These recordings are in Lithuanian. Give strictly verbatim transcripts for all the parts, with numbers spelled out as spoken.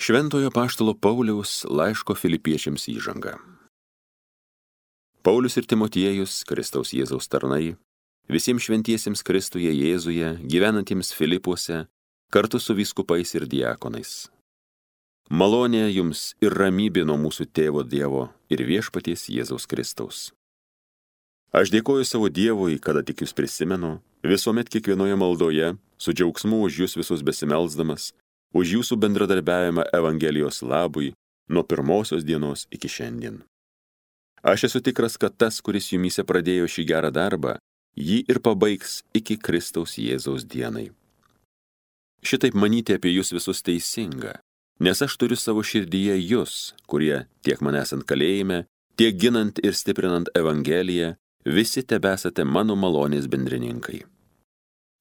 Šventojo apaštalo Pauliaus laiško Filipiečiams įžanga. Paulius ir Timotiejus, Kristaus Jėzaus tarnai, visiems šventiesiems Kristuje Jėzuje, gyvenantiems Filipuose, kartu su vyskupais ir diakonais. Malonė jums ir ramybė nuo mūsų tėvo Dievo ir viešpaties Jėzaus Kristaus. Aš dėkoju savo Dievui, kada tik jūs prisimenu, visuomet kiekvienoje maldoje, su džiaugsmu už jūs visus besimelsdamas, už jūsų bendradarbiavimą Evangelijos labui nuo pirmosios dienos iki šiandien. Aš esu tikras, kad tas, kuris jumyse pradėjo šį gerą darbą, jį ir pabaigs iki Kristaus Jėzaus dienai. Šitaip manyti apie jūs visus teisinga, nes aš turiu savo širdyje jūs, kurie tiek man esant kalėjime, tiek ginant ir stiprinant Evangeliją, visi tebesate mano malonės bendrininkai.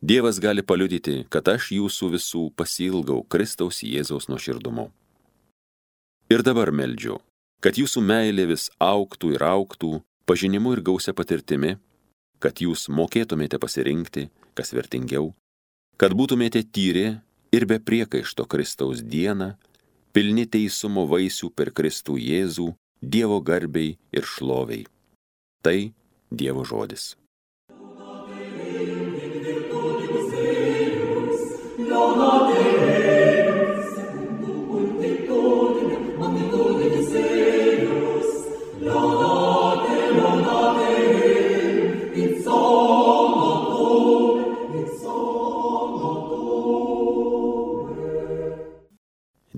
Dievas gali paliudyti, kad aš jūsų visų pasiilgau Kristaus Jėzaus nuoširdumu. Ir dabar meldžiu, kad jūsų meilė vis augtų ir augtų, pažinimu ir gausia patirtimi, kad jūs mokėtumėte pasirinkti, kas vertingiau, kad būtumėte tyri ir be priekaišto Kristaus dieną, pilni teisumo vaisių per Kristų Jėzų, Dievo garbei ir šloviai. Tai Dievo žodis.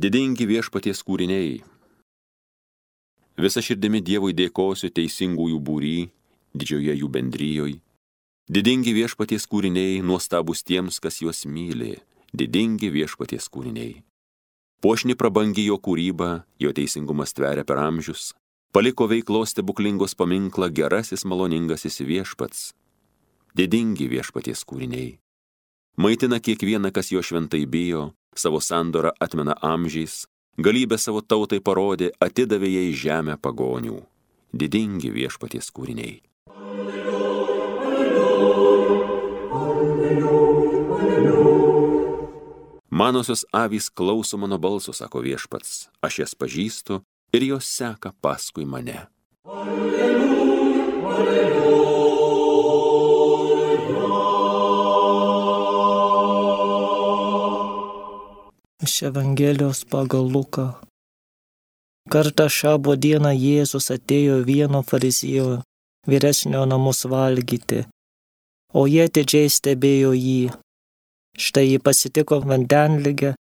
Didingi viešpaties kūriniai. Visa širdimi Dievui dėkosiu teisingųjų būry, didžioje jų bendrijoj. Didingi viešpaties kūriniai, nuostabus tiems, kas juos myli. Didingi viešpaties kūriniai. Puošni prabangi jo kūryba, jo teisingumas tveria per amžius. Paliko veiklos stebuklingos paminklą gerasis maloningasis viešpats. Didingi viešpaties kūriniai. Maitina kiekvieną, kas jo šventai bijo, savo sandorą atmena amžiais, galybę savo tautai parodė, atidavė jai žemę pagonių. Didingi viešpaties kūriniai. Manosios avys klauso mano balso, sako viešpats, aš jas pažįstu ir jos seka paskui mane. Alleluja, alleluja. Iš Evangelijos pagal Luką. Kartą šabo dieną Jėzus atėjo vieno fariziejo vyresnio namus valgyti, o jie atidžiai stebėjo jį. Štai jį pasitiko vandenligę,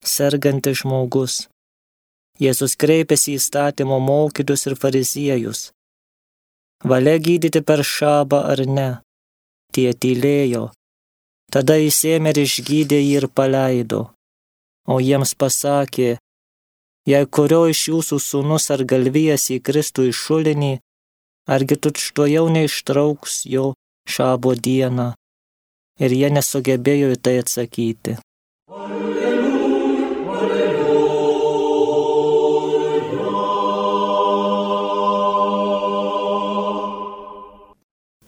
sergantis žmogus. Jėzus kreipėsi į įstatymo mokytojus ir fariziejus. Valia gydyti per šabą ar ne? Tie tylėjo. Tada jis ėmė ir išgydė jį ir paleido. O jiems pasakė, jei kurio iš jūsų sūnus ar galvijas įkristų į šulinį, argi tučtuojau neištrauks jo šabo dieną. Ir jie nesugebėjo į tai atsakyti. Alleluja, alleluja.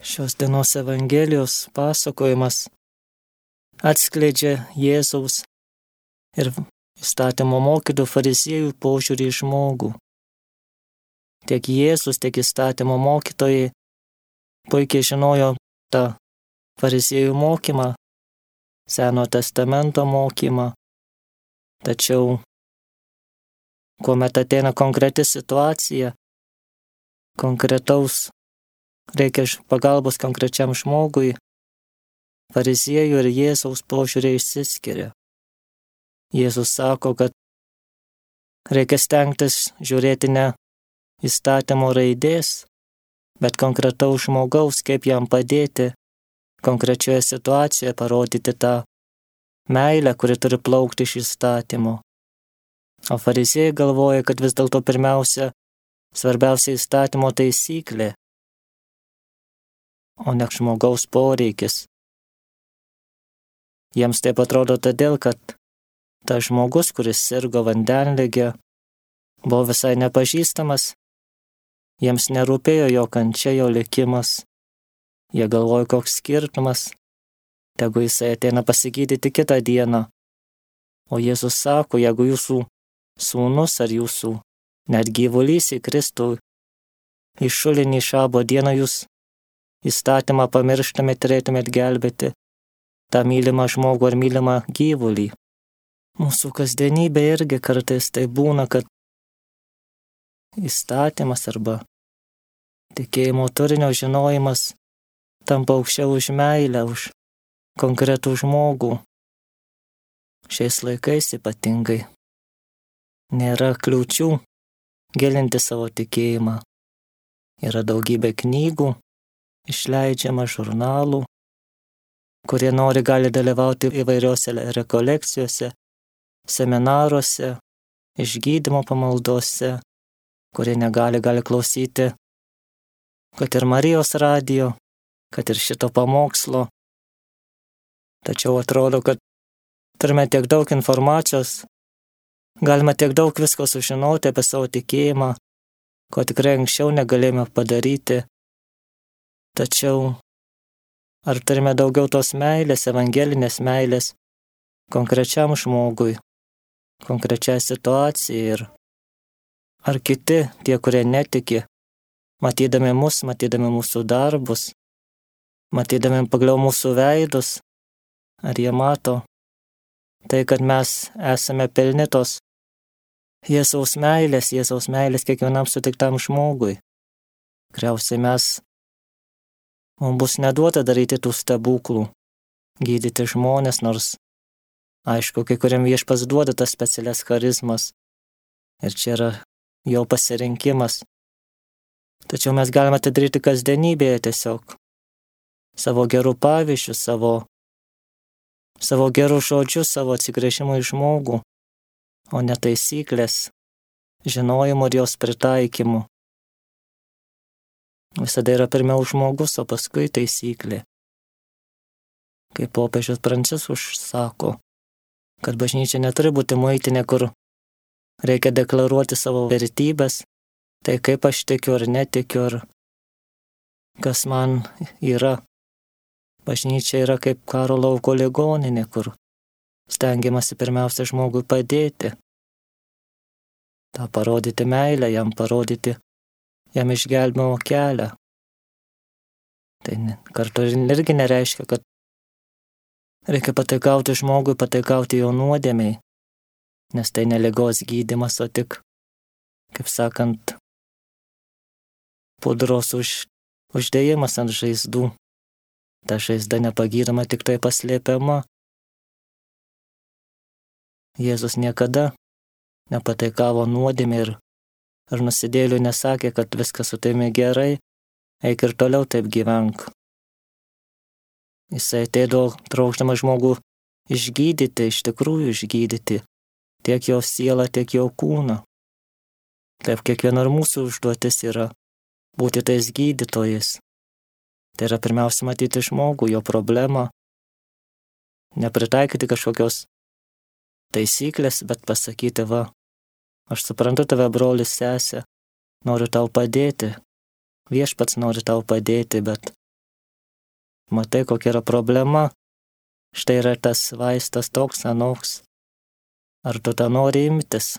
Šios dienos Evangelijos pasakojimas atskleidžia Jėzaus ir įstatymo mokytojų fariziejų požiūrį į žmogų. Tiek Jėzus, tiek įstatymo mokytojai puikiai žinojo tą fariziejų mokymą, Seno testamento mokymą. Tačiau, kuomet ateina konkreti situacija, konkretaus reikia pagalbos konkrečiam žmogui, fariziejų ir Jėzaus požiūriai išsiskiria. Jėzus sako, kad reikia stengtis žiūrėti ne įstatymo raidės, bet konkretaus žmogaus, kaip jam padėti konkrečioje situacijoje, parodyti tą meilę, kuri turi plaukti iš įstatymo. O fariziejai galvoja, kad vis dėlto pirmiausia, svarbiausia įstatymo taisyklė, o ne žmogaus poreikis. Jiems taip atrodo todėl, kad tas žmogus, kuris sirgo vandenlige, buvo visai nepažįstamas, jiems nerūpėjo jo kančia, jo likimas. Jie galvoja, koks skirtumas, tegu jisai ateina pasigydyti kitą dieną. O Jėzus sako, jeigu jūsų sūnus ar jūsų net gyvulys į Kristų, į šulinį šabo dieną jūs įstatymą pamirštumėt, turėtumėt gelbėti tą mylimą žmogų ar mylimą gyvulį. Mūsų kasdienybė irgi kartais tai būna, kad įstatymas arba tikėjimo turinio žinojimas tampa aukščiau už meilę, už konkretų žmogų. Šiais laikais ypatingai nėra kliūčių gilinti savo tikėjimą. Yra daugybė knygų, išleidžiama žurnalų, kurie nori gali dalyvauti įvairiose rekolekcijose, seminaruose, išgydymo pamaldose, kurie negali, gali klausyti, kad ir Marijos radijo, kad ir šito pamokslo. Tačiau atrodo, kad turime tiek daug informacijos, galima tiek daug visko sužinoti apie savo tikėjimą, ko tikrai anksčiau negalėjome padaryti. Tačiau ar turime daugiau tos meilės, evangelinės meilės konkrečiam žmogui, konkrečiai situacijai ir ar kiti, tie, kurie netiki, matydami mus, matydami mūsų darbus, matydami pagaliau mūsų veidus, ar jie mato tai, kad mes esame pilni tos Jėzaus meilės, Jėzaus meilės kiekvienam sutiktam žmogui. Tikriausiai mes, mums bus neduota daryti tų stebuklų, gydyti žmonės, nors, aišku, kai kuriam viešpats duoda tas specialias charizmas ir čia yra jo pasirinkimas. Tačiau mes galime tai daryti kasdienybėje tiesiog, savo gerų pavyzdžių, savo, savo gerų žodžių, savo atsigręžimų į žmogų, o ne taisyklės, žinojimo ir jos pritaikymu. Visada yra pirmiau žmogus, o paskui taisyklė. Kaip popiežius Pranciškus sako, kad bažnyčia neturi būti muitinė, kur reikia deklaruoti savo vertybės, tai kaip aš tikiu ar netikiu, ar kas man yra. Bažnyčia yra kaip karo lauko ligoninė, kur stengiamasi pirmiausia žmogui padėti, tą parodyti meilę, jam parodyti, jam išgelbėjimo kelią. Tai kartu irgi nereiškia, kad reikia pataikauti žmogui, pataikauti jo nuodėmei, nes tai ne ligos gydymas, o tik, kaip sakant, pudros už, uždėjimas ant žaizdų. Ta žaizda nepagydoma, tik tai paslėpiama. Jėzus niekada nepataikavo nuodėmei ir, ir nusidėlių nesakė, kad viskas su tavimi gerai, eik ir toliau taip gyvenk. Jisai ateidavo trokšdamas žmogų išgydyti, iš tikrųjų išgydyti, tiek jo sielą, tiek jo kūną. Taip kiekviena ir mūsų užduotis yra būti tais gydytojais. Tai yra pirmiausia matyti žmogų, jo problemą, nepritaikyti kažkokios taisyklės, bet pasakyti, va, aš suprantu tave, brolis, sesė, noriu tau padėti, viešpats nori tau padėti, bet matai, kokia yra problema, štai yra tas vaistas toks, anoks, ar tu tą nori imtis?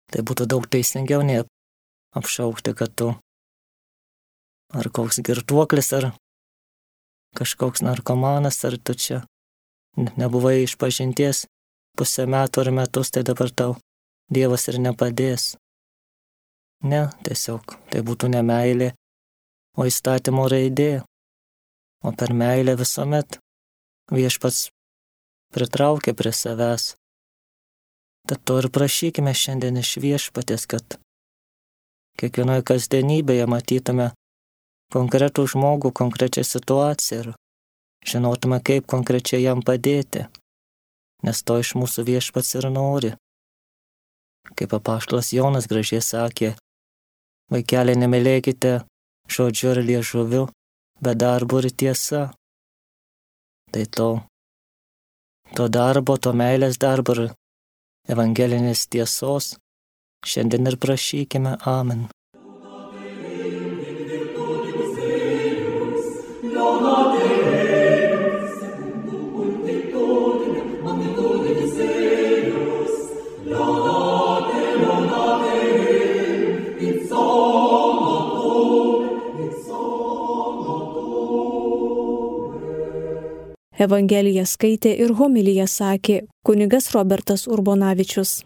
Tai būtų daug teisingiau nei apšaukti, kad tu ar koks girtuoklis, ar kažkoks narkomanas, ar tu čia nebuvai išpažinties pusę metų ar metus, tai dabar tau Dievas ir nepadės. Ne, tiesiog tai būtų ne meilė, o įstatymo raidė. O per meilę visuomet viešpats pritraukia prie savęs. Tad to ir prašykime šiandien iš viešpatės, kad kiekvienoje kasdienybėje matytume konkretų žmogų, konkrečią situaciją ir žinotume, kaip konkrečiai jam padėti, nes to iš mūsų viešpats ir nori. Kaip apaštalas Jonas gražiai sakė, vaikeliai, nemylėkite žodžiu ir liežuviu, bet darbu ir tiesa. Tai to, to darbo, to meilės darbo ir evangelinės tiesos šiandien ir prašykime. Amen. Lord. Evangeliją skaitė ir homiliją sakė kunigas Robertas Urbonavičius.